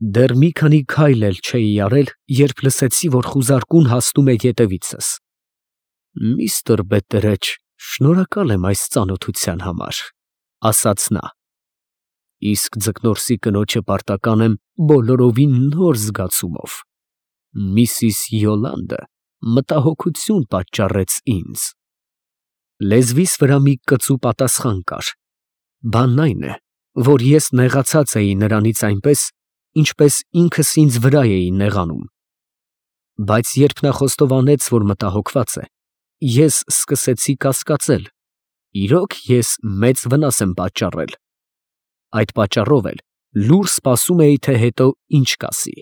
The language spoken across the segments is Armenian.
Դեռ մի քանի քայլ էլ չէի արել, երբ լսեցի, որ խուզարկուն հասնում է ետևիցս։ «Միստր Բետտերեջ, շնորհակալ եմ այս ծանոթության համար», ասաց նա։ Իսկ ձկնորսի կնոջը պարտական եմ բոլորովին նոր զգացումով։ Միսիս Յոլանդը մտահոգություն պատճառեց ինձ։ Լեզվիս վրա մի կծու պատասխան կար։ Բանն այն է, որ ես նեղացած էի նրանից այնպես, ինչպես ինքս ինձ վրա էի նեղանում։ Բայց երբ նա խոստովանեց, որ մտահոգված է, ես սկսեցի կասկածել. իրոք ես մեծ վնաս եմ պատճառել։ Այդ պատճառով էլ լուռ սպասում էի, թե հետո ինչ կասի։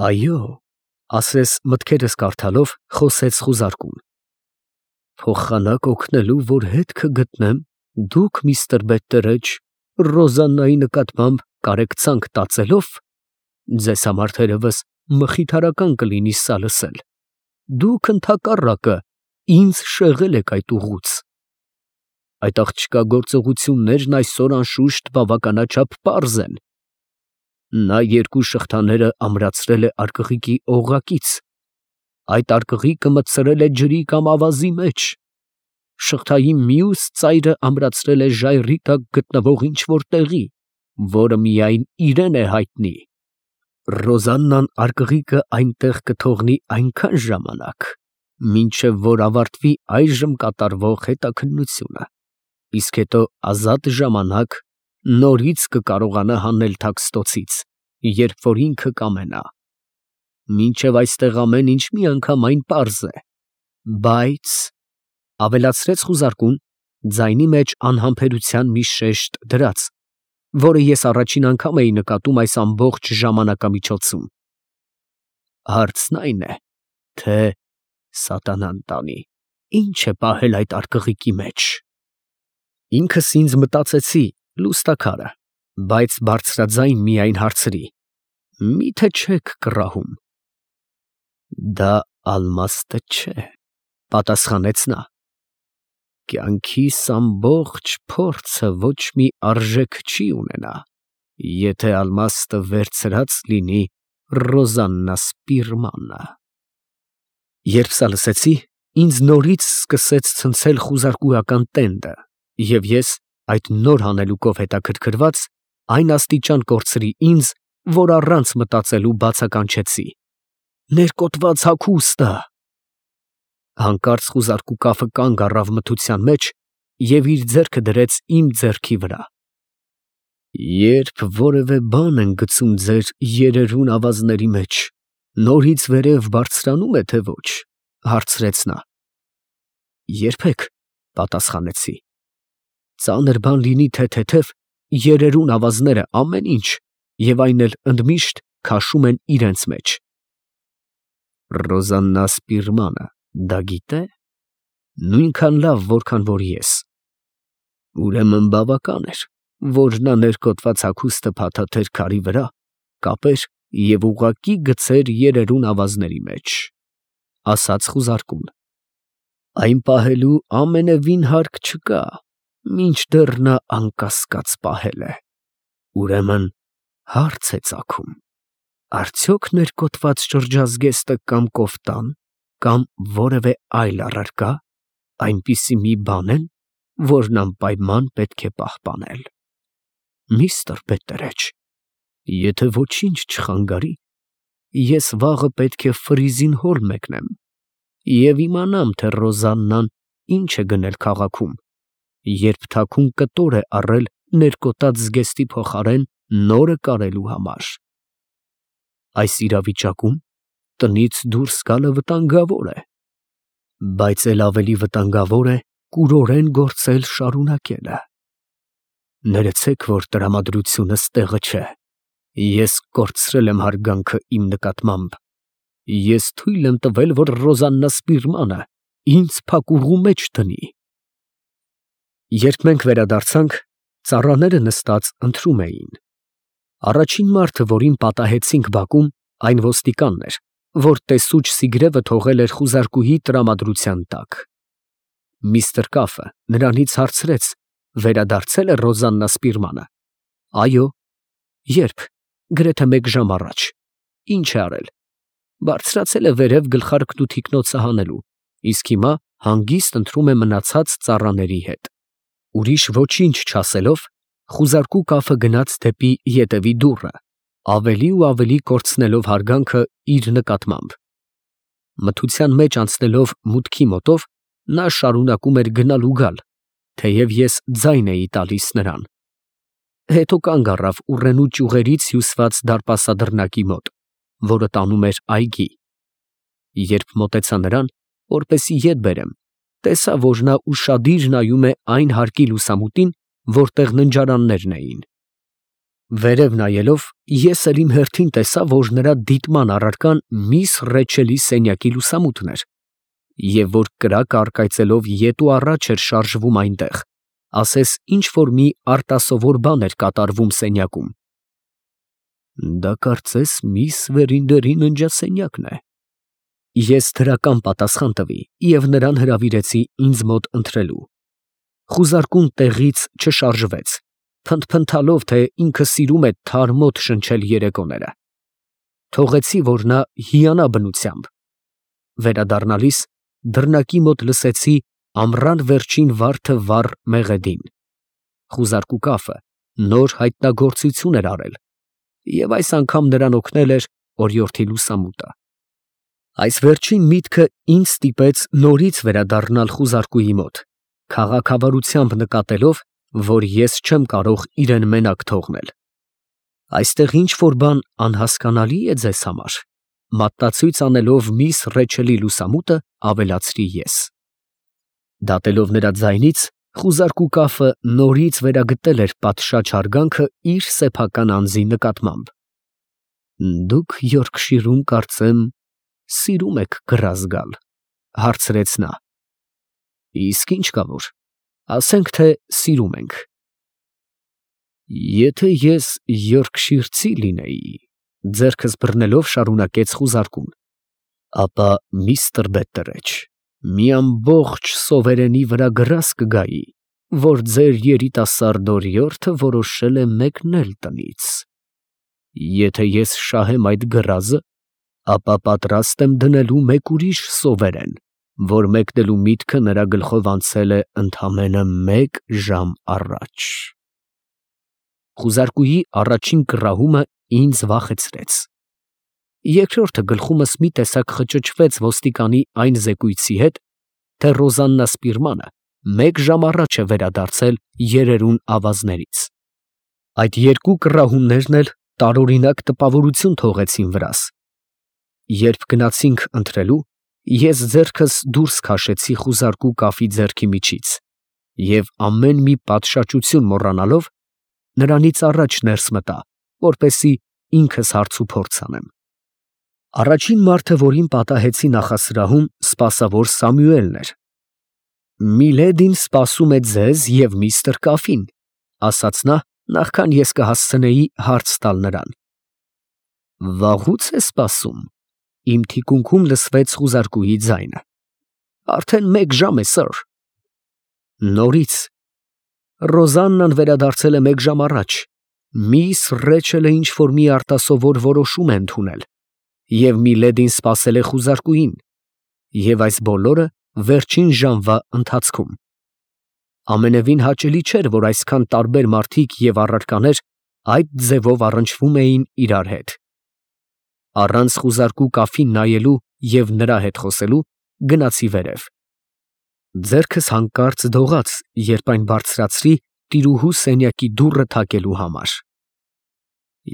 Այո, ասես մտքերս կարդալով, խոսեց խուզարկուն։ Փոխանակ օգնելու, որ հետքը գտնեմ, դուք, միստր Բետտերեջ, Ռոզաննայի նկատմամբ կարեկցանք տածելով, ձեզ համար թերևս մխիթարական կլինի սա լսել։ Դուք ընդհակառակը ինձ շեղել եք այդ ուղուց։ Այդ աղջկա գործողություններն այսօր անշուշտ բավականաչափ պարզ են։ Նա երկու շղթաները ամրացրել է արկղիկի օղակից, այդ արկղիկը մտցրել է ջրի կամ ավազի մեջ, շղթայի մյուս ծայրը ամրացրել է ժայռի տակ գտնվող ինչ-որ տեղի, որը միայն իրեն է հայտնի։ Ռոզաննան արկղիկը այնտեղ կթողնի այնքան ժամանակ, մինչև որ ավարտվի այժմ կատարվող հետաքննությունը, իսկ հետո ազատ ժամանակ նորից կկարողանա հանել Թաքստոցից, երբ որ ինքը կամենա։ Մինչև այստեղ ամեն ինչ միանգամայն պարզ է, բայց, ավելացրեց խուզարկուն, ձայնի մեջ անհամբերության մի շեշտ դրած, որը ես առաջին անգամ էի նկատում այս ամբողջ ժամանակամիջոցում։ Հարցն այն է, թե սատանան տանի, ինչ է պահել այդ արկղիկի մեջ։ Ինքս ինձ մտածեցի լուստաքարը, բայց բարձրաձայն միայն հարցրի. Մի՞թե չեք կռահում։ Դա ալմաստը չէ, պատասխանեց նա։ Կյանքիս ամբողջ փորձը ոչ մի արժեք չի ունենա, եթե ալմաստը վերցրած լինի Ռոզաննա Սպիրմանը։ Երբ սա լսեցի, ինձ նորից սկսեց ցնցել խուզարկուական տենդը, և ես, այդ նոր հանելուկով հետաքրքրված, այն աստիճան կորցրի ինձ, որ առանց մտածելու բացականչեցի. ներկոտված հագուստը։ Հանկարծ խուզարկու կափը կանգ առավ մթության մեջ և իր ձեռքը դրեց իմ ձեռքի վրա։ Երբ որևէ բան են գցում ձեր երերուն ավազների մեջ, նորից վերև բարձրանում է, թե ոչ, հարցրեց նա։ Երբեք, պատասխանեցի։ Ծանր բան լինի, թե թեթև, երերուն ավազները ամեն ինչ, և այն էլ ընդմիշտ քաշում են իրենց մեջ։ Ռոզաննա Սպիրմանը դա գիտե՞։ Նույնքան լավ, որքան որ ես։ Ուրեմն բավական էր, որ նա ներկոտված հագուստը փաթաթեր քարի վրա, կապեր և ուղղակի գցեր երերուն ավազների մեջ, ասաց խուզարկուն։ Այն պահելու ամենևին հարկ չկա, մինչդեռ նա անկասկած պահել է։ Ուրեմն հարց է ծագում. արդյոք ներկոտված շրջազգեստը կամ կոֆտան, կամ որևէ այլ առարկա այնպիսի մի բան են, որն անպայման պետք է պահպանել։ Միստր Բետտերեջ, եթե ոչինչ չխանգարի, ես վաղը պետք է Ֆրիզին հոլ մեկնեմ և իմանամ, թե Ռոզաննան ինչ է գնել քաղաքում, երբ թաքուն կտոր է առել ներկոտած զգեստի փոխարեն նորը կարելու համար։ Այս իրավիճակում տնից դուրս գալը վտանգավոր է, բայց էլ ավելի վտանգավոր է կուրորեն գործել շարունակելը։ Ներեցեք, որ տրամադրությունս տեղը չէ։ Ես կորցրել եմ հարգանքը իմ նկատմամբ։ Ես թույլ եմ տվել, որ Ռոզաննա Սպիրմանը ինձ փակուղու մեջ դնի։ Երբ մենք վերադարձանք, ծառաները նստած ընթրում էին։ Առաջին մարդը, որին պատահեցինք բակում, այն ոստիկանն էր, որ տեսուչ Սիգրևը թողել էր խուզարկուհի տրամադրության տակ։ Միստր Կաֆը նրանից հարցրեց. վերադարձել է Ռոզաննա Սպիրմանը։ Այո։ Երբ։ գրեթե 1 ժամ առաջ։ Ինչ է արել։ Բարձրացել է վերև գլխարկն ու թիկնոցը հանելու, իսկ հիմա հանգիստ ընթրում է մնացած ծառաների հետ։ Ուրիշ ոչինչ չասելով, խուզարկու կաֆը գնաց դեպի ետևի դուռը, ավելի ու ավելի կորցնելով հարգանքը իր նկատմամբ։ Մթության մեջ անցնելով մուտքի մոտով, նա շարունակում էր գնալ ու գալ, թեև ես ձայն էի տալիս նրան։ Հետո կանգ առավ ուռենու ճյուղերից հյուսված դարպասադրնակի մոտ, որը տանում էր այգի։ Երբ մոտեցա նրան, որպեսզի ետ բերեմ, տեսա, որ նա ուշադիր նայում է այն հարկի լուսամուտին, որտեղ ննջարաններն էին։ Վերև նայելով, ես էլ իմ հերթին տեսա, որ նրա դիտման առարկան միս Ռեչելի սենյակի լուսամուտն էր, և որ կրակը առկայծելով ետ ու առաջ էր շարժվում այնտեղ, ասես ինչ-որ մի արտասովոր բան էր կատարվում սենյակում։ Դա կարծես միս Վերինդերի ննջասենյակն է։ Ես դրական պատասխան տվի և նրան հրավիրեցի ինձ մոտ ընթրելու։ Խուզարկուն տեղից չշարժվեց, փնթփնթալով, թե ինքը սիրում է թարմոտ շնչել երեկոները։ Թողեցի, որ նա հիանա բնությամբ։ Վերադառնալիս դռնակի մոտ լսեցի ամռան վերջին վարդը վառ մեղեդին։ Խուզարկու կաֆը նոր հայտնագործություն էր արել, և այս անգամ նրան օգնել էր օրիորդի լուսամուտը։ Այս վերջին միտքը ինձ ստիպեց նորից վերադառնալ խուզարկուի մոտ, քաղաքավարությամբ նկատելով, որ ես չեմ կարող իրեն մենակ թողնել։ Այստեղ ինչ-որ բան անհասկանալի է ձեզ համար, մատնացույց անելով միս Ռեչելի լուսամուտը, ավելացրի ես։ Դատելով նրա ձայնից, խուզարկու կաֆը նորից վերագտել էր պատշաճ հարգանքը իր սեփական անձի նկատմամբ։ Դուք Յորքշիրում, կարծեմ, սիրում եք գրազ գալ, հարցրեց նա։ Իսկ ինչ կա որ, ասենք թե սիրում ենք։ Եթե ես Յորքշիրցի լինեի, ձեռքս բռնելով շարունակեց խուզարկուն, ապա միստր Բետտերեչ, մի ամբողջ սովերենի վրա գրազ կգայի, որ ձեր երիտասարդ օրիորդը որոշել է մեկնել տնից։ Եթե ես շահեմ այդ գրազը, ապա պատրաստ եմ դնելու մեկ ուրիշ սովերեն, որ մեկնելու միտքը նրա գլխով անցել է ընդամենը 1 ժամ առաջ։ Խուզարկուի առաջին կռահումը ինձ վախեցրեց։ Երկրորդը գլխումս մի տեսակ խճճվեց ոստիկանի այն զեկույցի հետ, թե Ռոզաննա Սպիրմանը 1 ժամ առաջ է վերադարձել երերուն ավազներից։ Այդ երկու կռահումներն էլ տարօրինակ տպավորություն թողեցին վրաս։ Երբ գնացինք ընթրելու, ես ձեռքս դուրս քաշեցի խուզարկու կաֆի ձեռքի միջից և ամեն մի պատշաճություն մոռանալով, նրանից առաջ ներս մտա, որպեսզի ինքս հարց ու փորձ անեմ։ Առաջին մարդը, որին պատահեցի նախասրահում, սպասավոր Սամյուելն էր։ Միլեդին սպասում է ձեզ և միստր Կաֆին, ասաց նա, նախքան ես կհասցնեի հարց տալ նրան։ Վաղուց է սպասում։ Իմ թիկունքում լսվեց խուզարկուի ձայնը։ Արդեն 1 ժամ է, սըր։ Նորից։ Ռոզաննան վերադարձել է 1 ժամ առաջ։ Միս Ռեչելը ինչ-որ մի արտասովոր որոշում է ընդունել, և Միլեդին սպասել է խուզարկուին, և այս բոլորը վերջին ժամվա ընթացքում։ Ամենևին հաճելի չէր, որ այսքան տարբեր մարդիկ և առարկաներ այդ ձևով առնչվում էին իրար հետ։ Առանց խուզարկու կաֆին նայելու և նրա հետ խոսելու գնացի վերև։ Ձեռքս հանկարծ դողաց, երբ այն բարձրացրի տիրուհու սենյակի դուռը թակելու համար։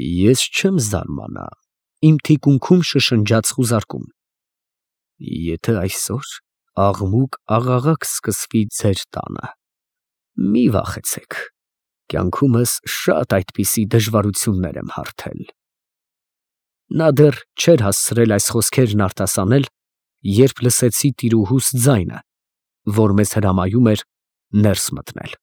Ես չեմ զարմանա, իմ թիկունքում շշնջաց խուզարկուն։ Եթե այսօր աղմուկ-աղաղակ սկսվի ձեր տանը, մի վախեցեք, կյանքումս շատ այդպիսի դժվարություններ եմ հարթել։ Նա դեռ չէր հասցրել այս խոսքերն արտասանել, երբ լսեցի տիրուհուս ձայնը, որ մեզ հրամայում էր ներս մտնել։